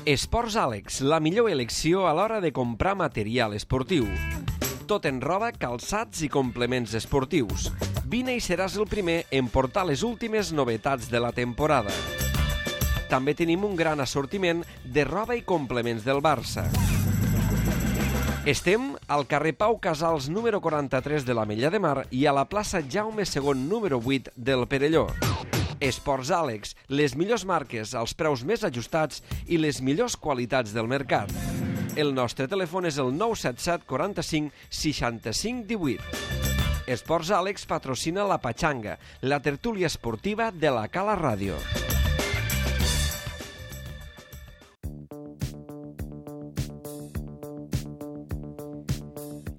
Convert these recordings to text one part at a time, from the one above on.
Esports Àlex, la millor elecció a l'hora de comprar material esportiu. Tot en roba, calçats i complements esportius. Vine i seràs el primer en portar les últimes novetats de la temporada. També tenim un gran assortiment de roba i complements del Barça. Estem al carrer Pau Casals número 43 de l'Ametlla de Mar i a la plaça Jaume II número 8 del Perelló. Esports Àlex, les millors marques als preus més ajustats i les millors qualitats del mercat. El nostre telèfon és el 977 45 65 18. Esports Àlex patrocina la Patxanga, la tertúlia esportiva de la Cala Ràdio.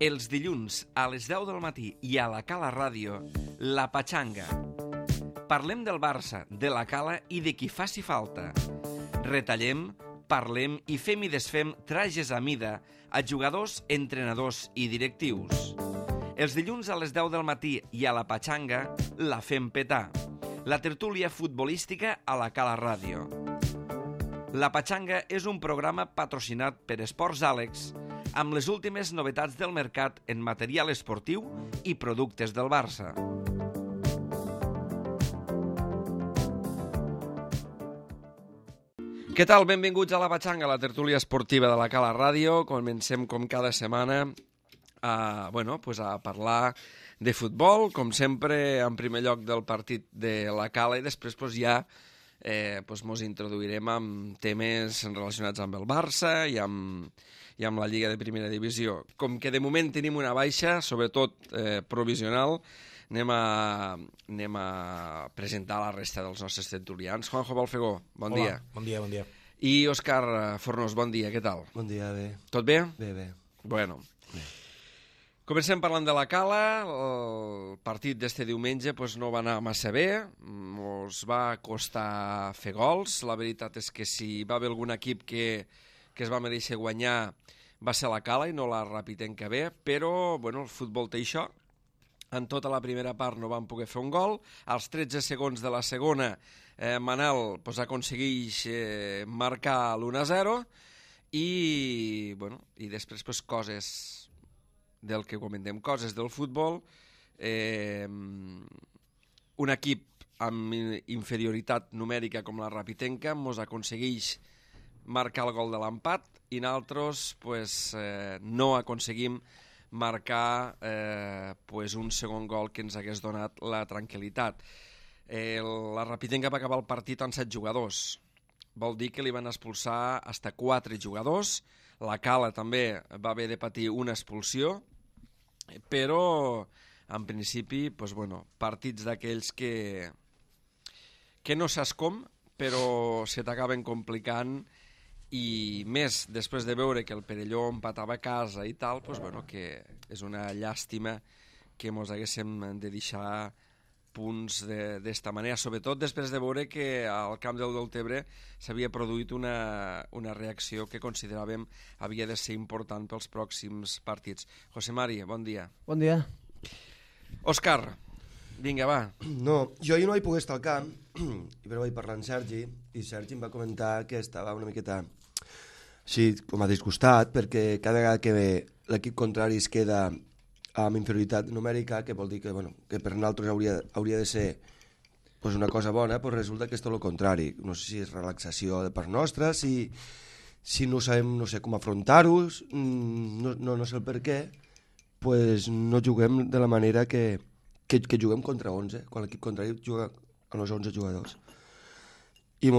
Els dilluns a les 10 del matí i a la Cala Ràdio, la Patxanga. Parlem del Barça, de la Cala i de qui faci falta. Retallem, parlem i fem i desfem trajes a mida a jugadors, entrenadors i directius. Els dilluns a les 10 del matí i a la Patxanga la fem petar. La tertúlia futbolística a la Cala Ràdio. La Patxanga és un programa patrocinat per Esports Àlex amb les últimes novetats del mercat en material esportiu i productes del Barça. Què tal? Benvinguts a la Patxanga, la tertúlia esportiva de la Cala Ràdio. Comencem com cada setmana a parlar de futbol, com sempre, en primer lloc del partit de la Cala i després ja mos introduirem amb temes relacionats amb el Barça i amb la Lliga de Primera Divisió. Com que de moment tenim una baixa, sobretot provisional, anem a presentar la resta dels nostres tertulians. Juanjo Balfegó, bon dia. Bon dia, bon dia. I Òscar Fornós, bon dia, què tal? Bon dia, bé. Tot bé? Bé. Bueno. Bé. Comencem parlant de la Cala. El partit d'este diumenge no va anar massa bé. Ens va costar fer gols. La veritat és que si va haver algun equip que es va mereixer guanyar va ser la Cala i no la Rapitenca B, però el futbol té això. En tota la primera part no van poder fer un gol. Als 13 segons de la segona, Manel aconsegueix marcar l'1-0 i després coses del que comentem, coses del futbol. Un equip amb inferioritat numèrica com la Rapitenca mos aconsegueix marcar el gol de l'empat i nosaltres no aconseguim marcar un segon gol que ens hagués donat la tranquil·litat. La Rapitenca va acabar el partit amb 7 jugadors. Vol dir que li van expulsar fins a 4 jugadors. La Cala també va haver de patir una expulsió, però en principi partits d'aquells que no saps com, però se t'acaben complicant. I més, després de veure que el Perelló empatava a casa i tal, que és una llàstima que mos haguéssim de deixar punts d'esta manera, sobretot després de veure que al camp del Deltebre s'havia produït una reacció que consideràvem havia de ser important pels pròxims partits. José Mari, bon dia. Bon dia. Òscar, vinga, va. No, jo ahir no vaig poder estar al camp, però vaig parlar amb Sergi, i Sergi em va comentar que estava una miqueta així com a disgustat, perquè cada vegada que l'equip contrari es queda amb inferioritat numèrica, que vol dir que per nosaltres hauria de ser una cosa bona, resulta que és tot el contrari. No sé si és relaxació de part nostra, si no sabem com afrontar-ho, no sé el per què, no juguem de la manera que juguem contra 11, quan l'equip contrari juga amb els 11 jugadors. I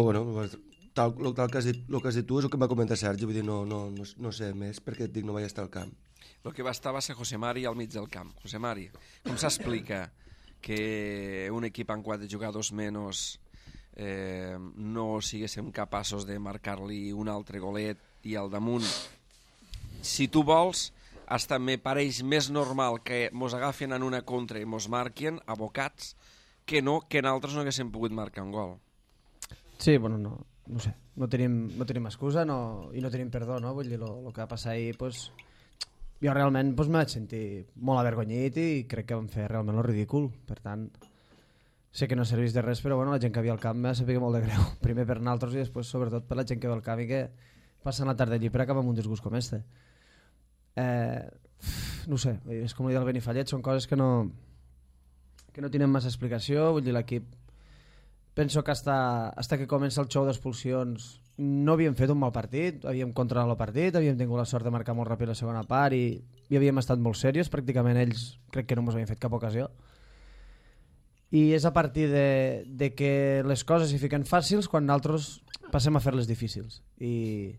el que has dit tu és el que em va comentar Sergi, vull dir, no sé més, perquè et dic, no vaig estar al camp. El que va estar va ser José Mari al mig del camp. José Mari, com s'explica que un equip amb 4 jugadors menys no siguéssim capaços de marcar-li un altre golet i al damunt? Si tu vols, hasta me pareix més normal que mos agafen en una contra i mos marquen abocats que nosaltres no haguéssim pogut marcar un gol. Sí, no sé, no tenim excusa i no tenim perdó, no? Vull dir, el que va passar ahir, jo realment me vaig sentir molt avergonyit i crec que vam fer realment el ridícul. Per tant, sé que no serveix de res, però la gent que havia al camp m'ha sabut molt de greu. Primer per nosaltres i després sobretot per la gent que ve al camp i que passen la tarda allí per acabar amb un disgust com este. No sé, és com dir el Benifallet, són coses que no tenen massa explicació. Vull dir, l'equip penso que hasta que comença el show d'expulsions no havíem fet un mal partit, havíem controlat el partit, havíem tingut la sort de marcar molt ràpid la segona part i havíem estat molt serios, pràcticament ells crec que no ens havien fet cap ocasió. I és a partir de que les coses s'hi fiquen fàcils quan nosaltres passem a fer-les difícils. I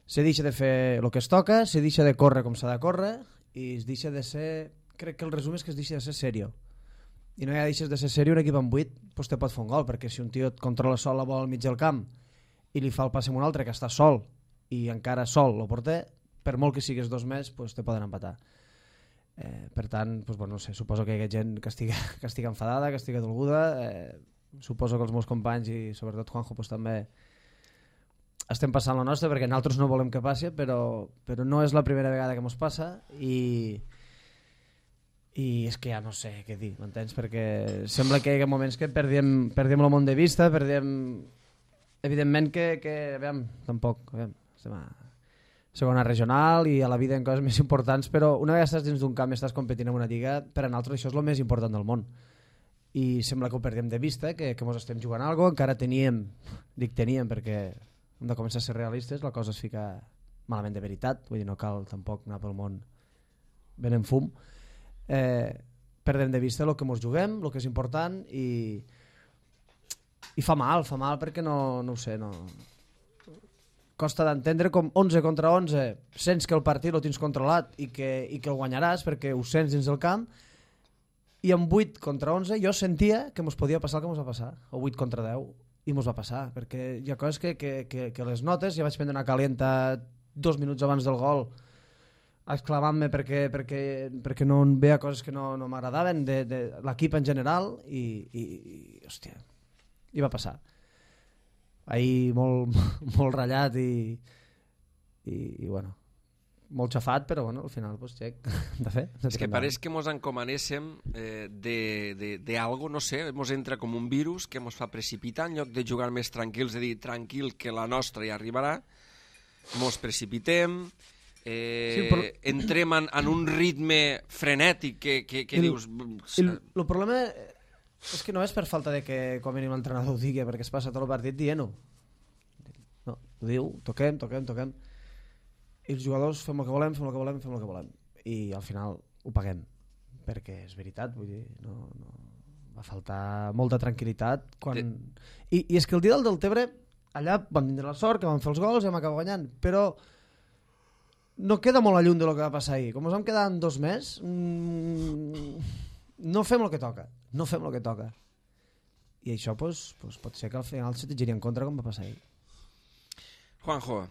se deixa de fer el que es toca, se deixa de córrer com s'ha de córrer i es deixa de ser... Crec que el resum és que es deixa de ser serio. I no ja deixes de ser serio, un equip amb 8 doncs te pot fer un gol, perquè si un tio et controla sol la bola al mig del camp i li fa el passe a un altre que està sol i encara sol el porter, per molt que sigues 2 més doncs te poden empatar. Per tant, doncs, bueno, no sé, suposo que hi ha gent que estigui enfadada, que estigui dolguda, suposo que els meus companys i sobretot Juanjo doncs, també estem passant la nostra perquè nosaltres no volem que passi, però no és la primera vegada que ens passa i és que ja no sé què dir, m'entens? Perquè sembla que hi ha moments que perdem el món de vista, evidentment que aviam, tampoc, estem a segona regional i a la vida en coses més importants, però una vegada estàs dins d'un camp i estàs competint en una lliga, per a nosaltres això és el més important del món. I sembla que ho perdem de vista, que ens estem jugant a alguna cosa, encara teníem perquè hem de començar a ser realistes, la cosa es fica malament de veritat, vull dir, no cal tampoc anar pel món ben en fum. Perdem de vista el que ens juguem, el que és important i fa mal perquè no ho sé, no... Costa d'entendre com 11 contra 11 sents que el partit el tens controlat i que el guanyaràs perquè ho sents dins del camp i amb 8 contra 11 jo sentia que ens podia passar el que ens va passar, o 8 contra 10 i ens va passar, perquè hi ha coses que les notes, ja vaig prendre una calenta 2 minuts abans del gol exclamant-me perquè no em veia coses que no m'agradaven de l'equip en general i hòstia, i va passar ahir molt ratllat i bueno, molt xafat, però bueno, al final pues, xec, de fer. És que pareix que mos encomanéssim d'algo, no sé, mos entra com un virus que mos fa precipitar en lloc de jugar més tranquils, de dir tranquil que la nostra ja arribarà, mos precipitem, entrem en un ritme frenètic que dius... El problema... És que no és per falta de que com a mínim l'entrenador ho digui, perquè es passa tot el partit dient-ho. No, ho diu, toquem. I els jugadors fem el que volem. I al final ho paguem. Perquè és veritat, vull dir, no va faltar molta tranquil·litat. I és que el dia del Deltebre, allà vam tindre la sort, que vam fer els gols i vam acabar guanyant, però no queda molt lluny del que va passar ahir. Com ens vam quedar en 2 més, no fem el que toca. I això pues, pot ser que al final se te giri en contra com va passar ahir. Juanjo.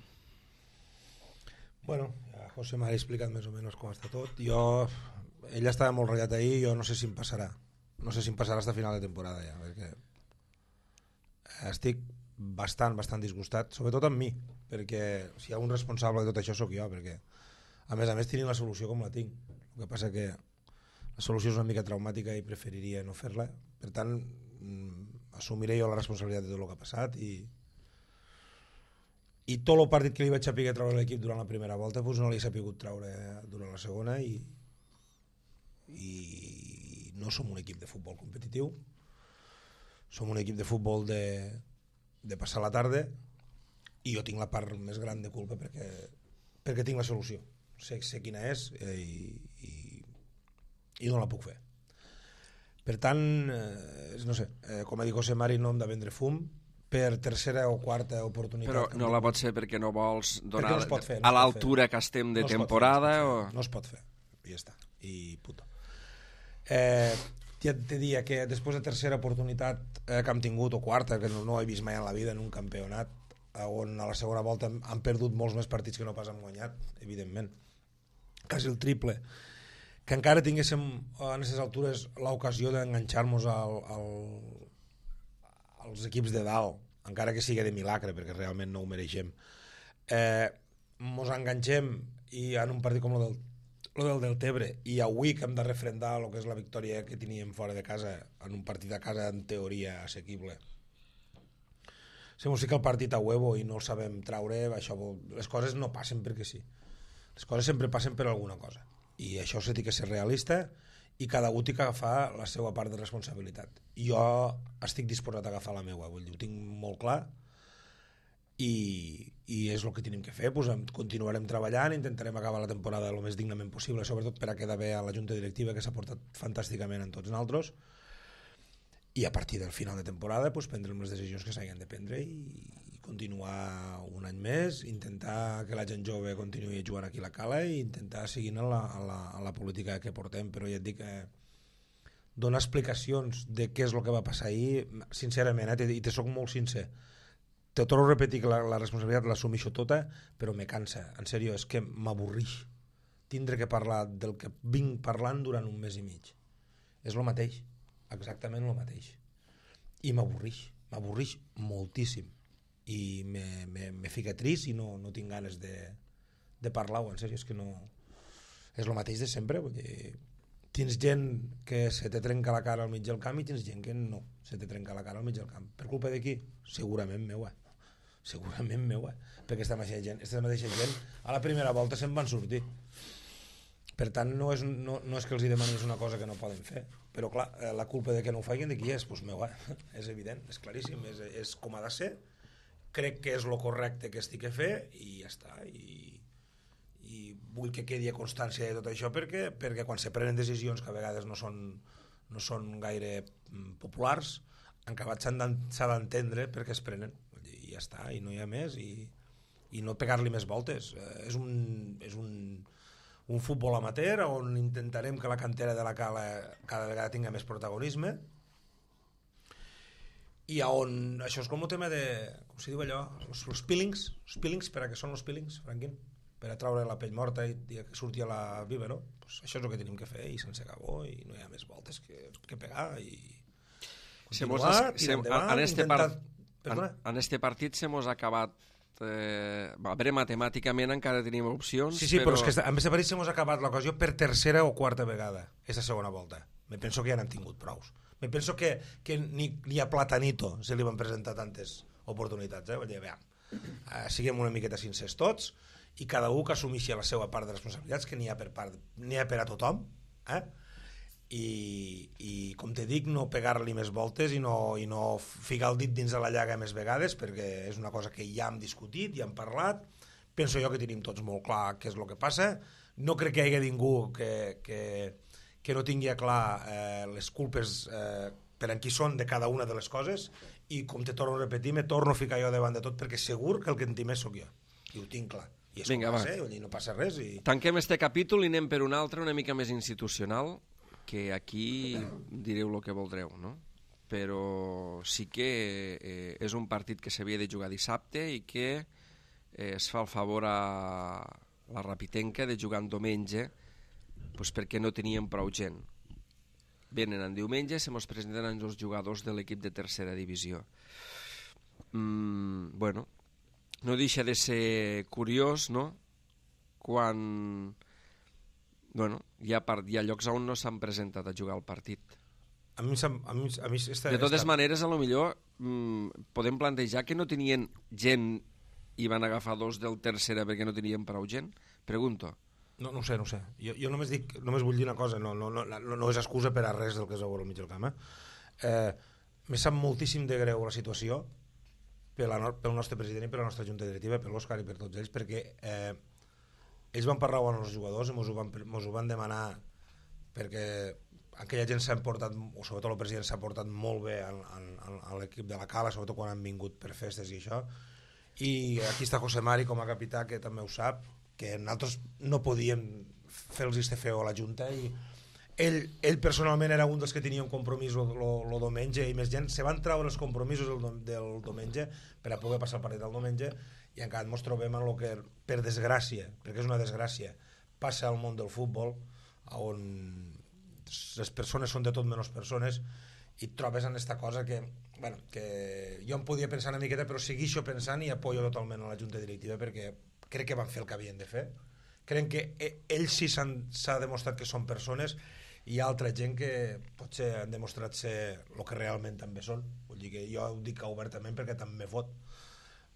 Bueno, ja José m'ha explicat més o menys com està tot. Ell estava molt ratllat ahir, jo no sé si em passarà. No sé si em passarà fins a final de temporada ja, perquè estic bastant disgustat, sobretot amb mi, perquè si hi ha un responsable de tot això sóc jo, perquè a més tenint la solució com la tinc. El que passa que la solució és una mica traumàtica i preferiria no fer-la, per tant assumiré jo la responsabilitat de tot el que ha passat i tot el partit que li vaig saber treure l'equip durant la primera volta doncs no l'he sapigut treure durant la segona i no som un equip de futbol competitiu, som un equip de futbol de passar la tarda i jo tinc la part més gran de culpa perquè tinc la solució, sé quina és i no la puc fer. Per tant, no sé, com ha dit José Mari, no hem de vendre fum per tercera o quarta oportunitat. Però no la pots fer perquè no vols donar no fer, a l'altura que estem de temporada? No es pot fer, i ja està, i puto. Ja te diria que després de tercera oportunitat que hem tingut, o quarta, que no he vist mai en la vida en un campionat, on a la segona volta han perdut molts més partits que no pas han guanyat, evidentment. Quasi el triple. Que encara tinguéssim a aquestes altures l'ocasió d'enganxar-nos als equips de dalt, encara que sigui de milagre, perquè realment no ho mereixem. Mos enganxem i en un partit com el del Deltebre i avui que hem de refrendar el que és la victòria que teníem fora de casa en un partit a casa en teoria assequible, si mos fica el partit a huevo i no el sabem traure, les coses no passen perquè sí. Les coses sempre passen per alguna cosa. I això s'ha de ser realista i cada un té que agafar la seva part de responsabilitat. Jo estic disposat a agafar la meva, vull dir, ho tinc molt clar i és el que tenim que fer. Pues continuarem treballant, intentarem acabar la temporada el més dignament possible, sobretot per a quedar bé a la junta directiva, que s'ha portat fantàsticament en tots nosaltres, i a partir del final de temporada pues, prendrem les decisions que s'hagin de prendre i continuar un any més, intentar que la gent jove continuï jugant aquí a la Cala i intentar seguir a la política que portem. Però ja et dic, donar explicacions de què és el que va passar ahir, sincerament, i te soc molt sincer, te torno a repetir que la responsabilitat l'assumeixo tota, però me cansa, en sèrio, és que m'avorrix tindre que parlar del que vinc parlant durant un mes i mig. És el mateix, exactament el mateix, i m'avorrix moltíssim i me fica trist i no tinc ganes de parlar-ho, en sèrio, és que no és el mateix de sempre. Vull dir, tens gent que se te trenca la cara al mig del camp i tens gent que no se te trenca la cara al mig del camp. Per culpa de qui? Segurament meu, perquè aquesta mateixa gent a la primera volta se'n van sortir. Per tant, no és que els demanis una cosa que no poden fer, però clar, la culpa de que no ho facin de qui és? Doncs meu, és evident, és claríssim, és com ha de ser, crec que és el correcte que estic a fer i ja està, i vull que quedi a constància de tot això perquè quan se prenen decisions que a vegades no són gaire populars, en acabat s'ha d'entendre per què es prenen, i ja està, i no hi ha més, i no pegar-li més voltes. És un futbol amateur on intentarem que la cantera de la Cala cada vegada tingui més protagonisme i on això és com el tema de, com se diu allò, els peelings, per a què són els peelings, Franquín? Per a traure la pell morta i que surti a la viva, no? Pues això és el que tenim que fer i sense acabó i no hi ha més voltes que pegar i continuar, tirar endavant, en este partit se mos ha acabat a veure, matemàticament encara tenim opcions, sí, però és que a més de París s'ha acabat l'ocasió per tercera o quarta vegada aquesta segona volta. Me penso que ja n'han tingut prous. Me penso que ni a Platanito se li van presentar tantes oportunitats, vull dir, siguem una miqueta sincers tots i cada un que assumeixi la seva part de responsabilitats, que n'hi ha per a tothom, i com te dic, no pegar-li més voltes i no ficar el dit dins de la llaga més vegades, perquè és una cosa que ja hem discutit, ja hem parlat. Penso jo que tenim tots molt clar què és el que passa. No crec que hi hagi ningú que no tingui clar les culpes per en qui són de cada una de les coses, i com te torno a repetir, me torno a ficar jo davant de tot perquè segur que el que en té més sóc jo, i ho tinc clar. I és vinga, no passa res. Tanquem este capítol i anem per un altre una mica més institucional, que aquí direu el que voldreu, no? Però sí que és un partit que s'havia de jugar dissabte i que es fa el favor a la Rapitenca de jugar en diumenge, doncs perquè no teníem prou gent. Venen en diumenge, se mos presenten els jugadors de l'equip de tercera divisió. Bueno, no deixa de ser curiós, no?, quan hi ha llocs on no s'han presentat a jugar al partit. De totes maneres, a lo millor podem plantejar que no tenien gent i van agafar dos del tercera perquè no tenien prou gent? Pregunto. No ho sé. Jo només vull dir una cosa, no és excusa per a res del que és al mig del camp. Me sap moltíssim de greu la situació pel nostre president i per la nostra junta directiva, per l'Òscar i per tots ells, perquè ells van parlar amb els jugadors i mos ho van demanar, perquè aquella gent s'ha portat, o sobretot el president s'ha portat molt bé a l'equip de la Cala, sobretot quan han vingut per festes i això, i aquí està José Mari com a capità, que també ho sap, que nosaltres no podíem fer-los este feo a la junta, i ell personalment era un dels que tenia un compromís el diumenge, i més gent se van treure els compromisos del diumenge per a poder passar el partit del diumenge, i encara ens trobem en el que, per desgràcia, perquè és una desgràcia, passa al món del futbol, on les persones són de tot menys persones, i et trobes en aquesta cosa que jo em podia pensar una miqueta, però segueixo pensant i apoyo totalment a la junta directiva, perquè crec que van fer el que havien de fer. Crec que ells sí s'ha demostrat que són persones, i hi ha altra gent que potser han demostrat ser el que realment també són. Vull dir que jo ho dic obertament perquè també me fot.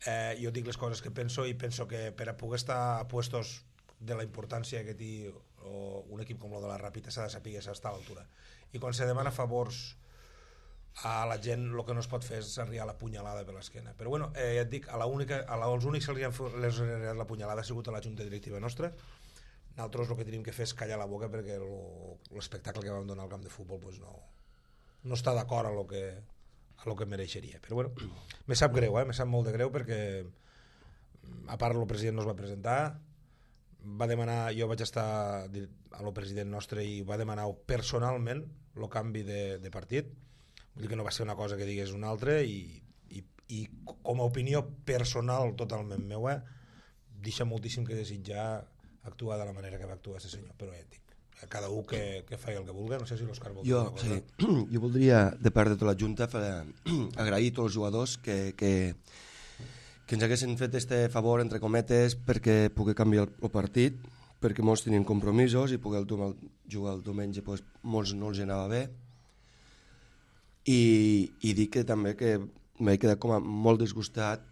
Jo dic les coses que penso i penso que per a poder estar a puestos de la importància que té un equip com el de la Ràpita s'ha de saber estar a l'altura. I quan se demana favors a la gent, el que no es pot fer és arribar a la punyalada per l'esquena. Però bueno, ja et dic, als únics que els han arribat la punyalada ha sigut a la junta directiva nostra. Nosaltres el que tenim que fer és callar la boca perquè l'espectacle que vam donar al camp de futbol pues no està d'acord a lo que mereixeria. Però bueno, me sap greu, me sap molt de greu perquè a part el president no es va presentar, va demanar, jo vaig estar a lo president nostre i va demanar personalment el canvi de partit. Vull dir que no va ser una cosa que digués una altra i com a opinió personal totalment meua deixa moltíssim que desitjar actuar de la manera que va actuar aquest senyor, però ja et dic, cada un que faci el que vulgui. No sé si l'Òscar vol dir alguna cosa. Sí. Jo voldria, de part de tota la Junta, agrair a tots els jugadors que ens haguessin fet este favor, entre cometes, perquè pugui canviar el partit, perquè molts tenien compromisos i poder jugar el diumenge pues, molts no els anava bé. I dic que també que m'he quedat com a molt disgustat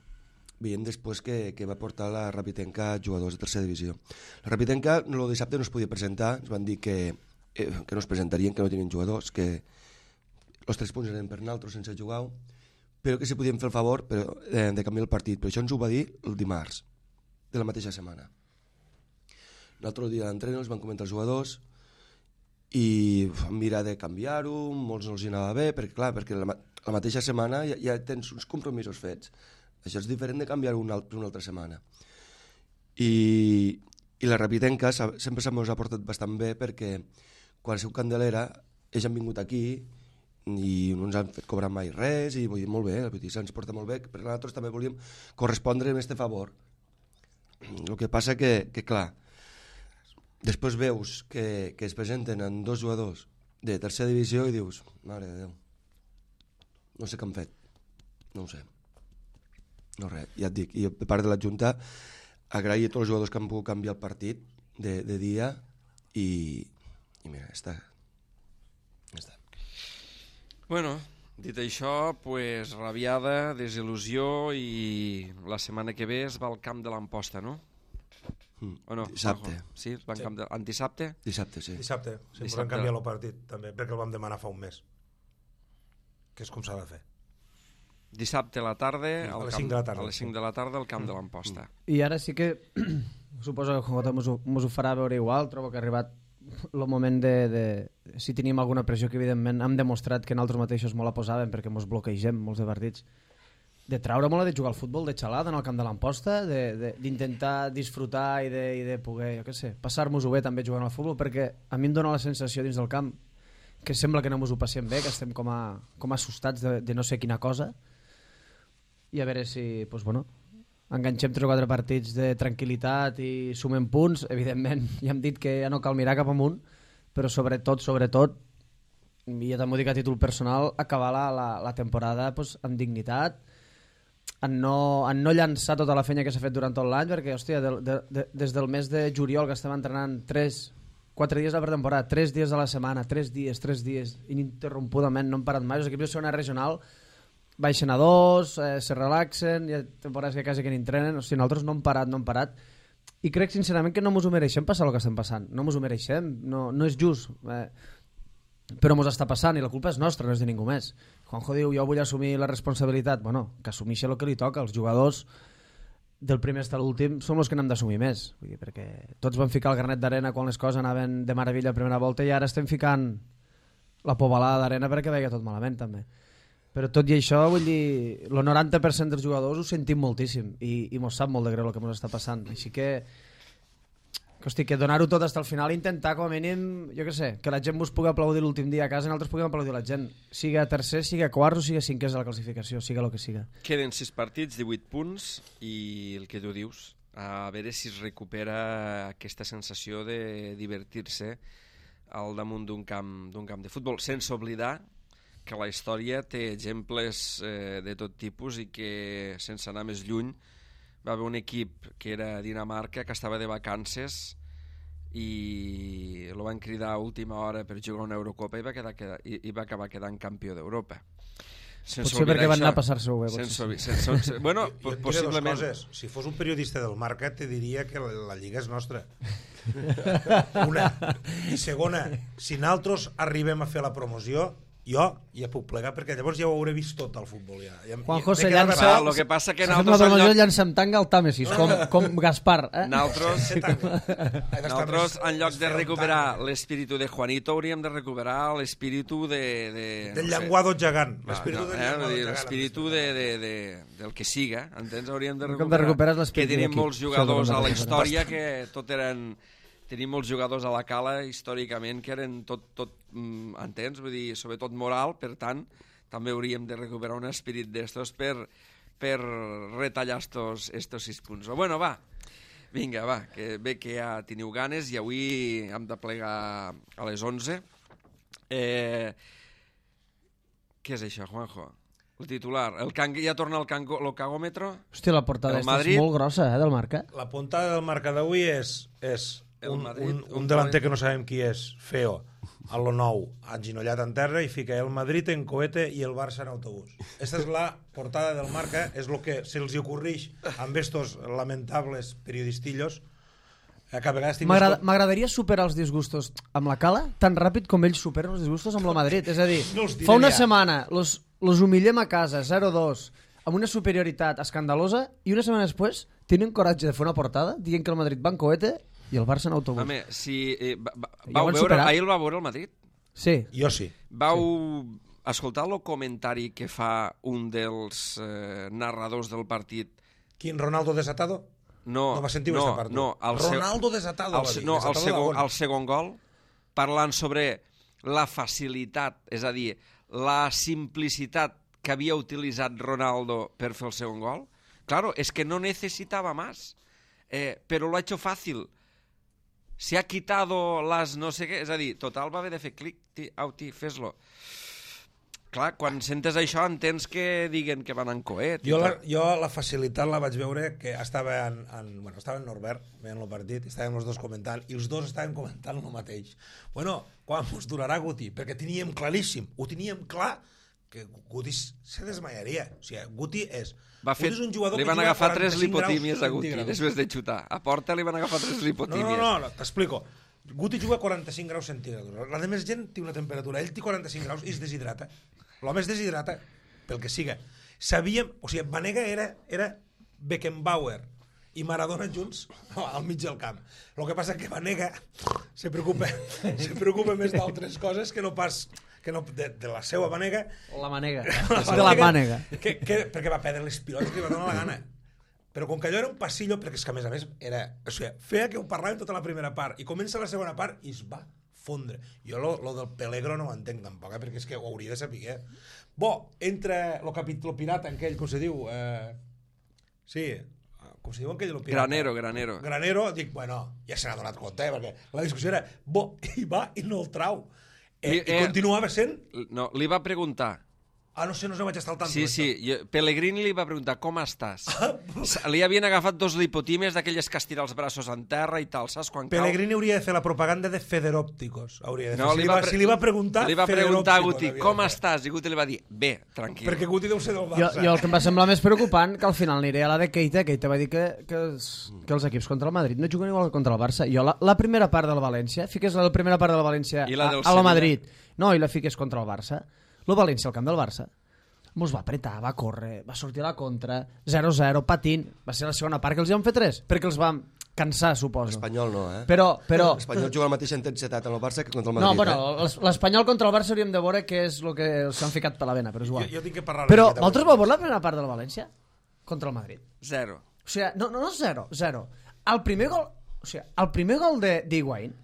veient després que va portar la Rapitenca jugadors de tercera divisió. La Rapitenca el dissabte no es podia presentar, ens van dir que no es presentarien, que no tenien jugadors, que els 3 punts eren per nosaltres sense jugar, però que si podien fer el favor de canviar el partit. Però això ens ho va dir el dimarts de la mateixa setmana. L'altre dia d'entreno els van comentar els jugadors i vam mirar de canviar-ho, molts no els anava bé, perquè la mateixa setmana ja tens uns compromisos fets. Això és diferent de canviar-ho una altra setmana. I la Rapitenca sempre s'ha portat bastant bé perquè quan ha sigut Candelera ells han vingut aquí i no ens han fet cobrar mai res i vull dir, molt bé, se'ns porta molt bé, però nosaltres també volíem correspondre amb aquest favor. El que passa que clar, després veus que es presenten en 2 jugadors de tercera divisió i dius, mare de Déu, no sé què han fet, no ho sé. No res, ja et dic, i de part de la Junta agrair a tots els jugadors que han pogut canviar el partit de dia i mira, ja està. Bueno, dit això, pues, rabiada, desil·lusió i la setmana que ve es va al camp de l'Amposta, no? O no? Dissabte. Sí, es va al camp de... Antisabte? Dissabte, sí. Dissabte, si volem canviar el partit també, perquè el vam demanar fa un mes, que és com s'ha de fer. Dissabte a la tarda, a les 5 de la tarda. A les 5 de la tarda al camp de l'Amposta. I ara sí que suposo que Jota mos ho farà veure igual. Trobo que ha arribat el moment de si tenim alguna pressió, que evidentment hem demostrat que nosaltres mateixos molt la posàvem perquè mos bloquegem molts de partits, de traure molt de jugar al futbol de xalada en el camp de l'Amposta, d'intentar disfrutar i de poder, jo què sé, passar-nos-ho bé també jugant al futbol, perquè a mi em dóna la sensació dins del camp que sembla que no mos ho passem bé, que estem com assustats de no sé quina cosa, i a veure si pues, bueno, enganxem 3 o 4 partits de tranquil·litat i sumem punts. Evidentment ja hem dit que ja no cal mirar cap amunt, però sobretot i ja també ho dic a títol personal, acabar la temporada pues, amb dignitat, en no llançar tota la feina que s'ha fet durant tot l'any, perquè hòstia, des del mes de juliol que estem entrenant 4 dies a la pretemporada, 3 dies a la setmana, 3 dies ininterrompudament, no hem parat mai. Els equips de segona regional baixen a 2, se relaxen, hi ha temporades que quasi que n'entrenen. O sigui, nosaltres no hem parat, i crec sincerament que no ens ho mereixem passar el que estem passant, no ens ho mereixem, no és just, però ens està passant i la culpa és nostra, no és de ningú més. Juanjo diu, jo vull assumir la responsabilitat, bueno, que assumeixi el que li toca. Els jugadors del primer fins a l'últim som els que n'hem d'assumir més, vull dir, perquè tots vam ficar el granet d'arena quan les coses anaven de meravella a primera volta i ara estem ficant la pobalada d'arena perquè veia tot malament també. Però tot i això, vull dir, el 90% dels jugadors ho sentim moltíssim i mos sap molt de greu el que mos està passant. Així que hosti, que donar-ho tot fins al final i intentar com a mínim, jo què sé, que la gent vos pugui aplaudir l'últim dia a casa i nosaltres puguem aplaudir la gent. Siga tercer, siga quart o siga cinquè de la classificació, siga el que siga. Queden 6 partits, 18 punts i el que tu dius, a veure si es recupera aquesta sensació de divertir-se al damunt d'un camp de futbol, sense oblidar que la història té exemples de tot tipus i que, sense anar més lluny, va haver un equip que era Dinamarca que estava de vacances i el van cridar a última hora per jugar una Eurocopa i va acabar quedant campió d'Europa. Potser perquè van anar a passar-se-ho bé. Bueno, Jo et diré possiblement... dues coses. Si fos un periodista del Marca, te diria que la Lliga és nostra. Una. I segona, si nosaltres arribem a fer la promoció, jo ja puc plegar, perquè llavors ja ho hauré vist tot al futbol. Juanjo se llança... El que passa que nosaltres... La promoció llança amb tanga al Tàmesis, com Gaspar. Nosaltres, en lloc de recuperar l'espíritu de Juanito, hauríem de recuperar l'espíritu del llenguado gegant. L'espíritu del que siga, entens? Hauríem de recuperar que tenim molts jugadors a la història que tot eren... Tenim molts jugadors a la cala històricament que eren tot entens? Vull dir, sobretot moral, per tant, també hauríem de recuperar un espírit d'estos per retallar estos 6 punts. Bueno, va, vinga, va, que bé que ja teniu ganes i avui hem de plegar a les 11. Què és això, Juanjo? El titular. Ja torna el cagòmetre? Hòstia, la portada és molt grossa, del Marca. La portada del Marca d'avui és un delanter que no sabem qui és, feo, a lo nou, aginollat en terra, i fica el Madrid en cohete i el Barça en autobús. Esta és la portada del Marca, és el que se'ls ocorreix amb estos lamentables periodistillos que a vegades... M'agradaria superar els disgustos amb la cala tan ràpid com ells superen els disgustos amb la Madrid. És a dir, fa una setmana los humillem a casa, 0-2, amb una superioritat escandalosa, i una setmana després tenen coratge de fer una portada dient que el Madrid va en cohete i el Barça en autobús. Home, si ahir el va veure el Madrid? Sí. Jo sí. Vau escoltar el comentari que fa un dels narradors del partit? Quin, Ronaldo desatado? No va sentir aquesta part. No, Ronaldo desatado. El segon gol, parlant sobre la facilitat, és a dir, la simplicitat que havia utilitzat Ronaldo per fer el segon gol. Claro, es que no necesitaba más, pero lo ha hecho fácil. Se ha quitado las no sé què, és a dir, total va haver de fer clic, fes-lo. Clar, quan sentes això entens que diguen que van en coet. Jo la facilitat la vaig veure que estava en Norbert veient el partit, estàvem els dos comentant i els dos estàvem comentant el mateix. Bueno, quan ens durarà Guti? Perquè teníem claríssim, ho teníem clar que Guti se desmaiaria. O sigui, Guti és un jugador li van agafar 3 lipotímies a Guti després de xutar. A porta li van agafar 3 lipotímies. No, t'explico. Guti juga a 45 graus centígrads. La de més gent té una temperatura. Ell té 45 graus i es deshidrata. L'home es deshidrata, pel que siga. Sabíem... O sigui, Vanega era Beckenbauer i Maradona junts al mig del camp. El que passa que Vanega se preocupa més d'altres coses que no pas... de la seva manega. La manega. De la mànega. Perquè va perdre les pilotes que li va donar la gana. Però com que allò era un passillo, perquè és que a més era... O sigui, feia que ho parlàvem tota la primera part i comença la segona part i es va fondre. Jo lo del Pelegro no ho entenc tampoc, perquè és que ho hauria de saber. Bo, entra el capítol pirata, aquell, com se diu... Sí, com se diu aquell lo pirata? Granero, dic, bueno, ja se n'ha donat compte, perquè la discussió era, bo, i va i no el trau. I continuava sent... No, li va preguntar... no sé, no vaig estar al tanto. Sí, Pellegrini li va preguntar, com estàs? Li havien agafat 2 lipotímies d'aquelles que estira els braços en terra i tal, saps? Pellegrini hauria de fer la propaganda de Federòpticos. Si li va preguntar... Li va preguntar a Guti, com estàs? I Guti li va dir, bé, tranquil. Perquè Guti deu ser del Barça. Jo el que em va semblar més preocupant, que al final aniré a la de Keita va dir que els equips contra el Madrid no juguen igual que contra el Barça. Jo la primera part del València, fiques la primera part del València a la Madrid, no, i la fiques contra el Barça. El València al camp del Barça mos va apretar, va córrer, va sortir a la contra, 0-0, patint. Va ser la segona part que els hi van fer 3, perquè els vam cansar, suposo. L'Espanyol no, Però... L'Espanyol juga la mateixa intensitat en el Barça que contra el Madrid. No, bueno, l'Espanyol contra el Barça hauríem de veure què és el que s'han ficat per la vena, però és igual. Jo tinc que parlar... Però vosaltres vau veure la primera part del València? Contra el Madrid? 0. O sigui, no 0. El primer gol d'Higuaín,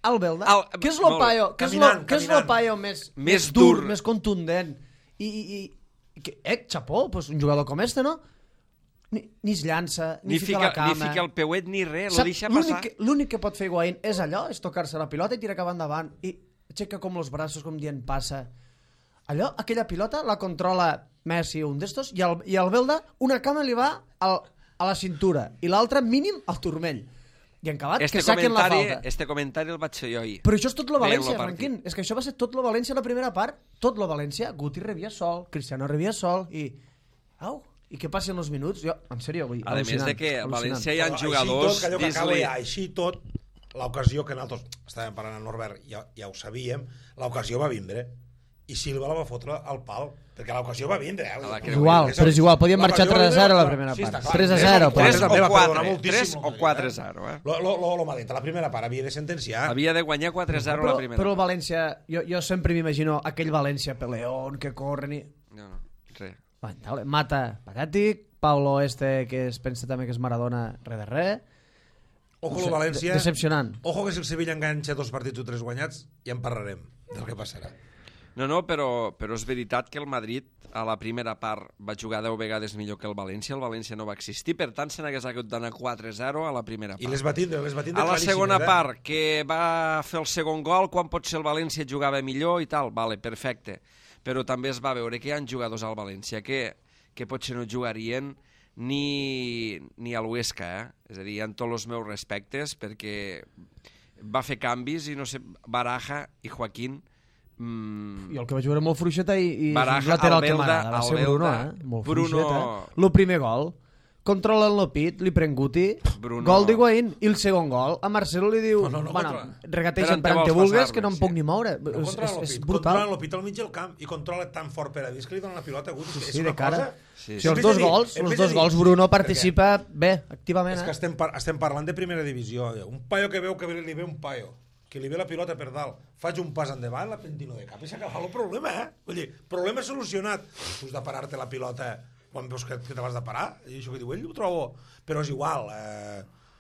el Belda, què és el paio més dur, més contundent i xapó, pues un jugador com este, no? Ni es llança, ni fica la cama, ni fica el peuet ni res, lo deixa passar. L'únic que pot fer Higuaín és allò, és tocar-se la pilota i tirar cap endavant i aixeca com els braços com dient passa. Allò, aquella pilota la controla Messi, un d'estos, i el Belda una cama li va a la cintura i l'altra mínim al turmell. I en acabat, que saquen la falta. Este comentari el vaig fer jo ahir. Però això és tot lo Veient València, lo partit. Ranquín. És que això va ser tot lo València la primera part. Tot lo València. Guti rebia sol, Cristiano rebia sol i... Au, i què passa en els minuts? Jo, en sèrio, vull dir, A més de que a València hi ha jugadors... Així tot, l'ocasió que nosaltres estàvem parlant amb Norbert, ja ho sabíem, l'ocasió va vindre. I Silva la va fotre al pal, perquè l'ocasió va vindre. Igual, però és igual, podíem marxar 3-0 a la primera part. 3-0. 3 o 4-0. Lo malent, a la primera part havia de sentenciar. Havia de guanyar 4-0 a la primera. Però el València, jo sempre m'imagino aquell València peleón que corren i... No, res. Mata patètic, Paulo que es pensa també que és Maradona res de res. Ojo lo València. Decepcionant. Ojo que si el Sevilla enganxa 2 partits o 3 guanyats, ja en parlarem del que passarà. No, però és veritat que el Madrid a la primera part va jugar 10 vegades millor que el València no va existir, per tant se n'hagués hagut d'anar 4-0 a la primera part. I les va tindre a la segona part, que va fer el segon gol, quan potser el València jugava millor i tal, vale, perfecte. Però també es va veure que hi ha jugadors al València que potser no jugarien ni a l'Huesca, És a dir, hi ha tots els meus respectes, perquè va fer canvis i no sé, Baraja i Joaquín... I el que va jugar molt fluixeta i Baraja, lateral que m'agrada, va ser Bruno, molt fluixeta. El primer gol, controla el Lopit, li pren Guti, gol d'Higuaín, i el segon gol, a Marcelo li diu, regateixen per on te vulgues, que no em puc ni moure. És brutal. Controla el Lopit al mig del camp i controla tan fort per a dins que li dona la pilota a Guti. Sí, de cara. Si els dos gols, Bruno participa bé, activament. És que estem parlant de primera divisió. Un paio que veu que li ve un paio, que li ve la pilota per dalt, faig un pas endavant, la pentino de cap i s'acaba el problema, Vull dir, problema solucionat. Tu has de parar-te la pilota quan veus que te vas de parar, i això que diu ell ho trobo. Però és igual,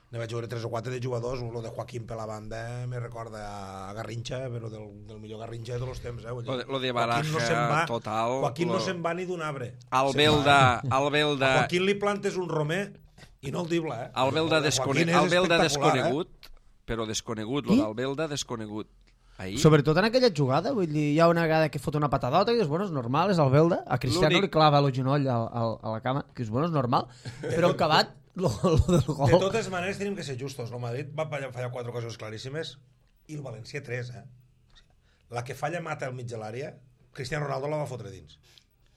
ne vaig veure 3 o 4 de jugadors, lo de Joaquín per la banda me recorda a Garrincha, però del millor Garrincha de tots els temps. Lo de Baraja, total. Joaquín no se'n va ni d'un arbre. Al Belda... A Joaquín li plantes un romer i no el dibla, Al Belda desconegut, però desconegut, lo d'Albelda desconegut. Ahir. Sobretot en aquella jugada, vull dir, hi ha una vegada que fot una patadota i dius, bueno, és normal, és Albelda. A Cristiano li clava el genoll a la cama, que dius, bueno, és normal. Però el acabat, lo del gol... De totes maneres, tenim que ser justos. El Madrid va fallar 4 ocasions claríssimes i el València 3, La que falla Mata al mig de l'àrea, Cristiano Ronaldo la va fotre dins.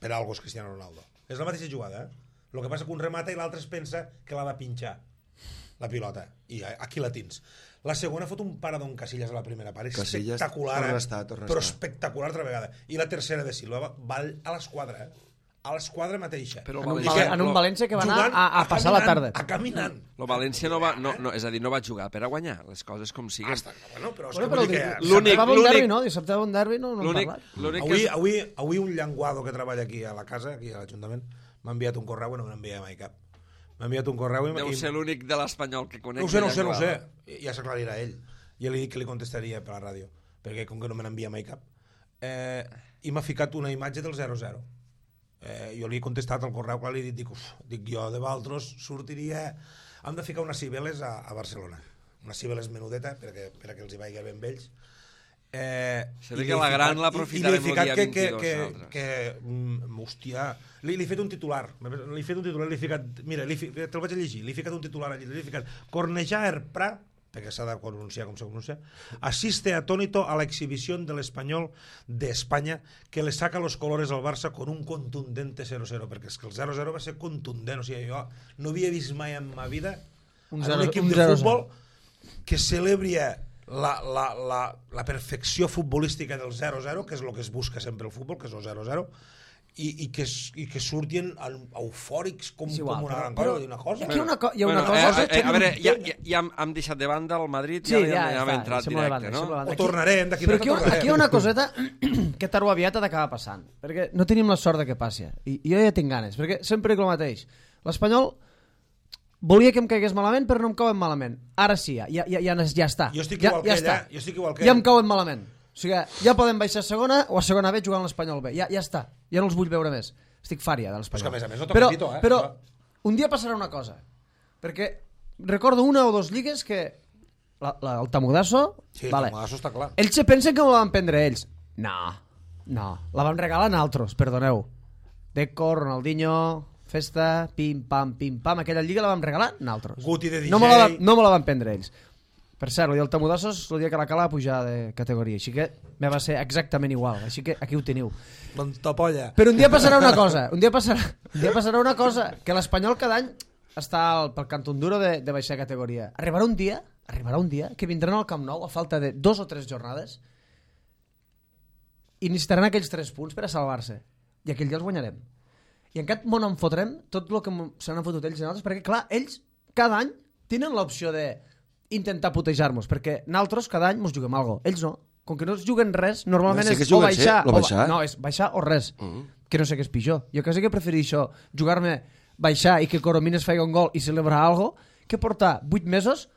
Per algo és Cristiano Ronaldo. És la mateixa jugada, El que passa que un remata i l'altre es pensa que l'ha de pinxar la pilota, i aquí la tens. La segona fot un paradón Casillas a la primera part, Casillas, espectacular, torna però espectacular altra vegada. I la tercera de Silva va a l'esquadra, a l'esquadra mateixa. Però en un València que va anar a passar la tarda. A caminant. El València no va, és a dir, no va jugar per a guanyar, les coses com siguin. Però l'únic derbi, no? Dissabte va un derbi, no hem parlat. Avui un llenguado que treballa aquí a la casa, aquí a l'Ajuntament, m'ha enviat un correu i no me n'envia mai cap. M'ha enviat un correu i... Deu ser l'únic de l'Espanyol que conec. No ho sé. Ja s'aclarirà ell. Ja li dic que li contestaria per la ràdio, perquè com que no me n'envia mai cap. I m'ha ficat una imatge del 0-0. Jo li he contestat al correu, clar, li dic jo de Valtros sortiria... Hem de ficar unes cibeles a Barcelona. Unes cibeles menudeta, perquè els hi vagi ben vells. Se ve que la gran l'aprofitarem el dia 22. Hòstia, li he fet un titular, li he ficat, mira, te'l vaig a llegir, li he ficat un titular allí, li he ficat Cornellà Erpra, perquè s'ha de pronunciar com se pronuncia, asiste atónito a la exhibición del español de España que le saca los colores al Barça con un contundente 0-0, perquè és que el 0-0 va ser contundent, o sigui, jo no havia vist mai en ma vida un equip de futbol que celebria la perfecció futbolística del 0-0, que és el que es busca sempre el futbol, que és el 0-0, i que surtin eufòrics com una gran cosa. Una cosa. Hi ha una cosa... A veure, ja hem deixat de banda el Madrid, ja hem entrat directe, no? O tornarem, d'aquí però aquí hi ha una coseta que tard o aviat ha d'acabar passant, perquè no tenim la sort de que passi, i jo ja tinc ganes, perquè sempre dic el mateix. L'Espanyol volia que em caigués malament, però no em cauen malament. Ara sí, ja està. Jo estic igual que ella. Ja em cauen malament. O sigui, ja poden baixar a segona o a segona B jugant l'Espanyol B. Ja està. Ja no els vull veure més. Estic fària de l'Espanyol. Però a més no toca pito, Però un dia passarà una cosa. Perquè recordo 1 o 2 lligues que el Tamudasso... Sí, el Tamudasso està clar. Ells se pensen que me la van prendre ells. No. La van regalar a altres, perdoneu. Deco, Ronaldinho... festa, pim-pam, aquella lliga la vam regalar nosaltres. Guti de DJ. No me la van prendre ells. Per cert, el Tamudassos, el dia que la cala va pujar de categoria, així que me va ser exactament igual, així que aquí ho teniu. Doncs topolla. Però un dia passarà una cosa, que l'Espanyol cada any està pel cantón duro de baixar categoria. Arribarà un dia que vindran al Camp Nou a falta de 2 o 3 jornades i necessitaran aquells 3 punts per a salvar-se. I aquell dia els guanyarem. I en cap món en fotrem tot el que se n'han fotut ells i nosaltres, perquè clar, ells cada any tenen l'opció de intentar putejar-nos, perquè nosaltres cada any ens juguem alguna cosa. Ells no. Com que no es juguen res, normalment és o baixar, no, és baixar o res. Que no sé què és pitjor. Jo quasi que prefereixo jugar-me baixar i que Coromines faci un gol i celebrar algo que portar 8 mesos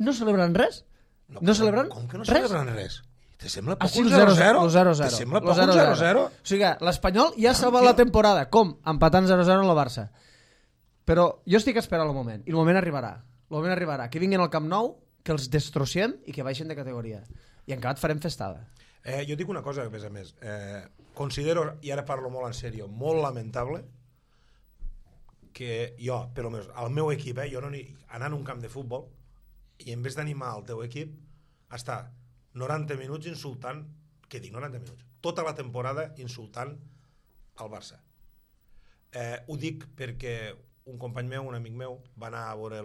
no celebrant res. No celebrant com que no res? celebran res? Te sembla poc Així un el 0-0? 0-0. Te sembla poc un 0-0? O sigui, l'Espanyol ja ha salvat la temporada. Com? Empatant 0-0 en la Barça. Però jo estic esperant el moment. I el moment arribarà. Que vinguin al Camp Nou, que els destrociem i que baixen de categoria. I en acabat farem festada. Jo dic una cosa, a més. Considero, i ara parlo molt en sèrio, molt lamentable que jo, per almenys, al meu equip, jo no anant a un camp de futbol i en vez d'animar el teu equip, estar 90 minuts insultant, què dic, 90 minuts? Tota la temporada insultant el Barça. Ho dic perquè un company meu, un amic meu, va anar a veure